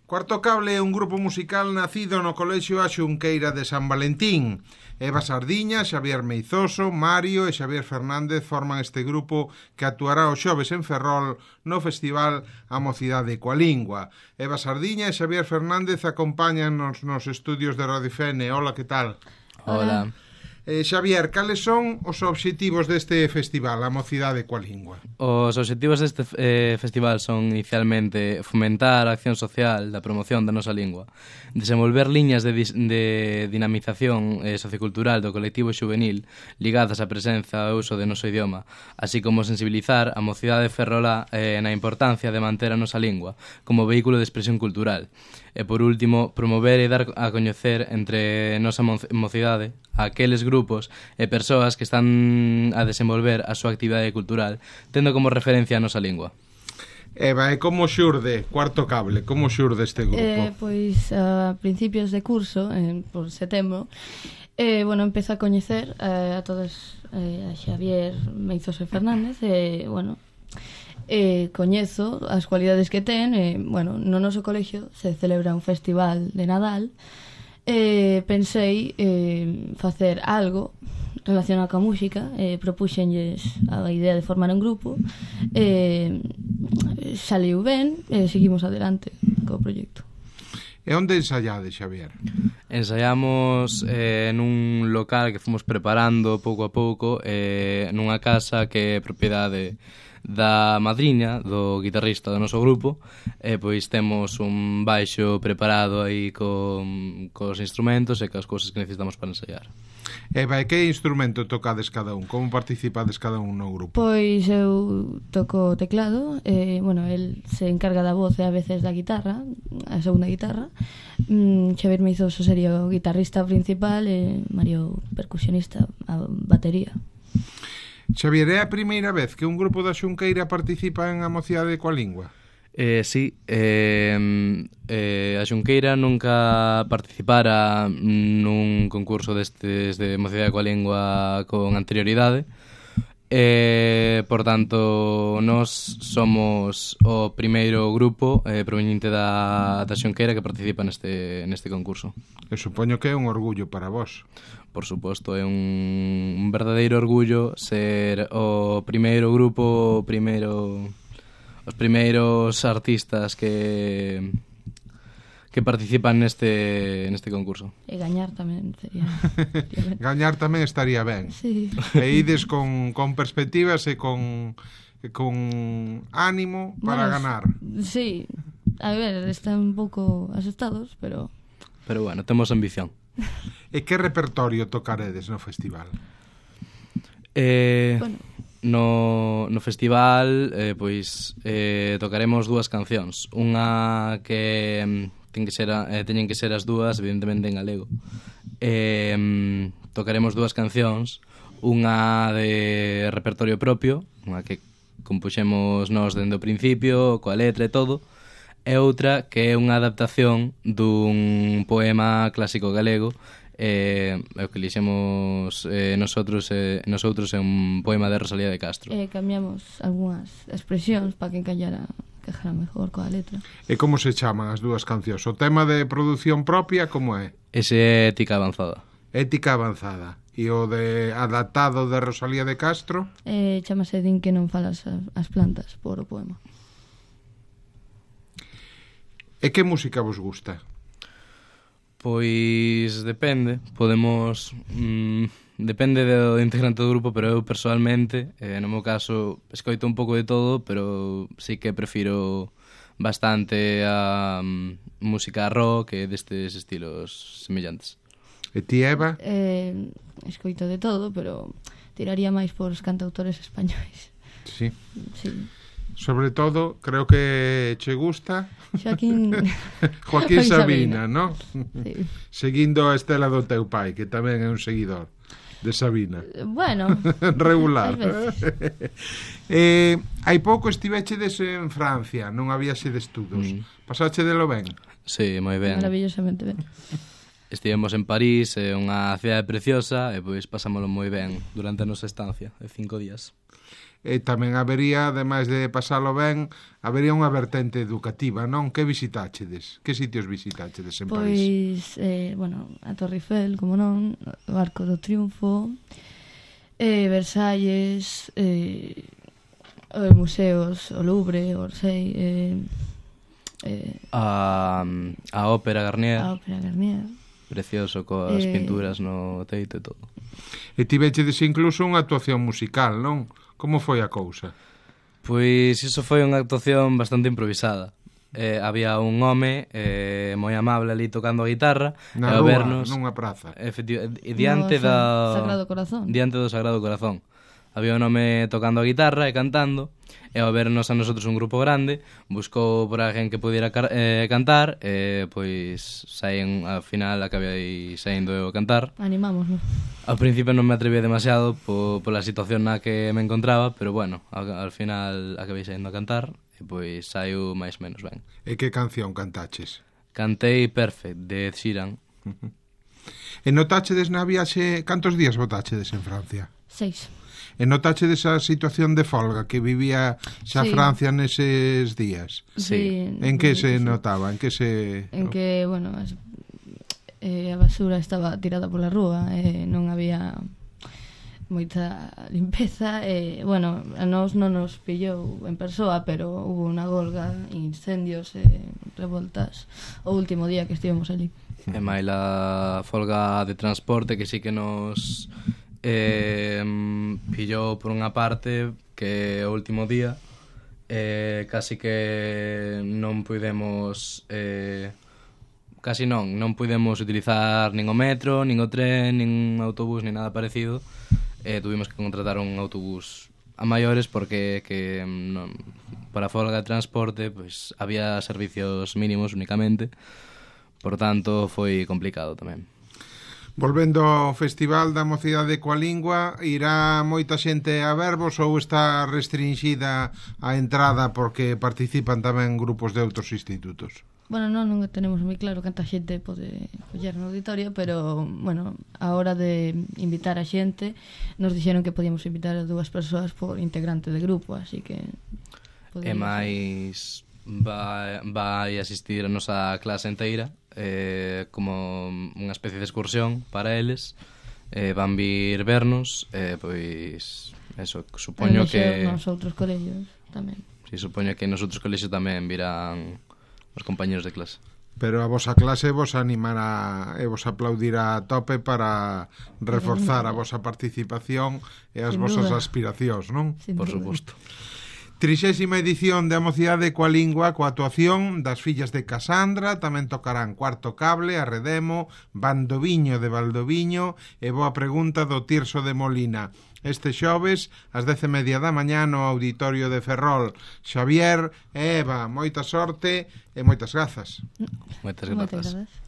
Cuarto Cable é un grupo musical nacido no Colexio A Xunqueira de San Valentín. Eva Sardiña, Xavier Meizoso, Mario e Xavier Fernández forman este grupo que actuará o xoves en Ferrol no Festival A Mocidade coa Lingua. Eva Sardiña e Xavier Fernández acompáñanos nos estudios de Radio Fene. Hola, que tal? Hola. Xavier, cales son os obxectivos deste festival, A Mocidade coa Lingua? Os obxectivos deste festival son inicialmente fomentar a acción social da promoción da nosa lingua, desenvolver liñas de dinamización sociocultural do colectivo xuvenil ligadas á presenza e uso do noso idioma, así como sensibilizar a mocidade ferrolá na importancia de manter a nosa lingua como vehículo de expresión cultural. E, por último, promover e dar a coñecer entre nosa mocidade a aqueles grupos e persoas que están a desenvolver a súa actividade cultural, tendo como referencia a nosa lingua. Eva, e como xurde Cuarto Cable? Como xurde este grupo? Pois a principios de curso, por setembro, empezo a coñecer a todos, a Xavier Meizoso e Fernández, coñezo as cualidades que ten. No noso colexio se celebra un festival de Nadal. Pensei facer algo relacionado coa música. Propuxenlles a idea de formar un grupo. Saliu ben, seguimos adelante co proxecto. E onde ensaiades, Xavier? Ensaiamos nun local que fomos preparando pouco a pouco, nunha casa que é propiedade da madriña do guitarrista do noso grupo, e pois temos un baixo preparado aí cos instrumentos e coas cousas que necesitamos para ensaiar. Eva, e que instrumento tocades cada un? Como participades cada un no grupo? Pois eu toco o teclado, el se encarga da voz e a veces da guitarra, a segunda guitarra. Xavier Meizoso sería o guitarrista principal e Mario percusionista, a batería. Xavier, é a primeira vez que un grupo da Xunqueira participa en A Mocidade coa Lingua? Sí, a Xunqueira nunca participara nun concurso destes de Mocidade coa Lingua con anterioridade. Por tanto, nós somos o primeiro grupo proveniente da Xunqueira que participa neste concurso. Eu supoño que é un orgullo para vos. Por suposto, é un verdadeiro orgullo ser o primeiro grupo, os primeiros artistas que participan neste concurso. E gañar tamén sería Gañar tamén estaría ben. Sí. E ides con perspectivas e con ánimo para ganar. Sí, a ver, están un pouco asustados, pero bueno, temos ambición. E que repertorio tocaredes no festival? No festival tocaremos dúas cancións. Unha que teñen que ser as dúas evidentemente en galego. Tocaremos dúas cancións, unha de repertorio propio, unha que compuxemos nós dende o principio coa letra e todo, e outra que é unha adaptación dun poema clásico galego, o que lixemos nosotros é un poema de Rosalía de Castro. Cambiamos algunhas expresións para que encajara mejor coa letra. E como se chaman as dúas cancións? O tema de produción propia, como é? Ese é Ética Avanzada. Ética Avanzada. E o de adaptado de Rosalía de Castro? Chámase Din que non falas as plantas por o poema. E que música vos gusta? Pois depende, depende do integrante do grupo, pero eu persoalmente, no meu caso, escoito un pouco de todo, pero sí que prefiro bastante a música rock e destes estilos semellantes. E ti, Eva? Escoito de todo, pero tiraría máis por os cantautores españois. Sí. Sí. Sobre todo, creo que che gusta Joaquín Sabina, ¿no? Sí. Seguindo a estela do teu pai, que tamén é un seguidor de Sabina. Bueno, regular. Hai pouco estivechedes en Francia, non había de estudos. Pasache de lo ben? Sí, moi ben. Maravillosamente ben. Estivemos en París, unha cidade preciosa, e pois pasámoslo moi ben durante a nosa estancia de 5 días. E tamén habería, ademais de pasalo ben, habería unha vertente educativa, non? Que visitáchedes? Que sitios visitáchedes en París? Pois, bueno, a Torre Eiffel, como non, o Arco do Triunfo, Versalles, museos, o Louvre, o Orsay, A Ópera Garnier, a Ópera Garnier. precioso, coas pinturas no teito e todo. E tivechedes incluso unha actuación musical, non? Como foi a cousa? Pois iso foi unha actuación bastante improvisada. Había un home moi amable ali tocando a guitarra Na e ao rúa, vernos, nunha praza. diante Sagrado Corazón. Diante do Sagrado Corazón. Había un home tocando a guitarra e cantando, e ao vernos a nosotros un grupo grande, buscou por alguén que pudiera cantar, e pois ao final acabei saindo eu a cantar. Animámoslo. Ao principio non me atreví demasiado pola situación na que me encontraba, pero bueno, ao final acabei saindo a cantar, e pois saiu máis ou menos ben. E que canción cantaches? Cantei Perfect, de Ed Sheeran. E notáchedes na viaxe, cantos días botáchedes en Francia? 6. E notáchedes a situación de folga que vivía xa Sí. Francia neses días? Sí. En que se notaba? En que se... En que, bueno, a basura estaba tirada pola rúa, non había moita limpeza, bueno, a nós non nos pillou en persoa, pero hubo unha golga, incendios e revoltas o último día que estivemos ali. E máis a folga de transporte que sí que nos pillou por unha parte, que o último día casi que non pudemos non pudemos utilizar nin o metro, nin o tren, nin un autobús, nin nada parecido. Tuvimos que contratar un autobús a maiores porque non, para a folga de transporte pues, había servicios mínimos únicamente, por tanto foi complicado tamén. Volvendo ao Festival da Mocidade coa Lingua, irá moita xente a vervos ou está restringida a entrada porque participan tamén grupos de outros institutos? Bueno, non tenemos moi claro canta xente pode coller no auditorio, pero, bueno, a hora de invitar a xente nos dixeron que podíamos invitar a 2 persoas por integrante de grupo, así que... E máis vai asistir a nosa clase inteira como unha especie de excursión para eles, van vir vernos, pois eso, supoño que nos outros colegios tamén. Si, supoño que nos outros colexios tamén virán os compañeros de clase. Pero a vosa clase vos animará e vos aplaudirá a tope para reforzar a vosa participación e as Sin vosas duda. aspiracións, non? Sin Por duda. suposto. 30ª edición de A Mocidade coa Lingua, coa actuación das fillas de Casandra, tamén tocarán Cuarto Cable, Arredemo, Bandoviño de Valdoviño e Boa Pregunta do Tirso de Molina. Este xoves, ás 10:30 da mañá no Auditorio de Ferrol. Xavier e Eva, moita sorte e moitas grazas. Moitas Moitas grazas. grazas.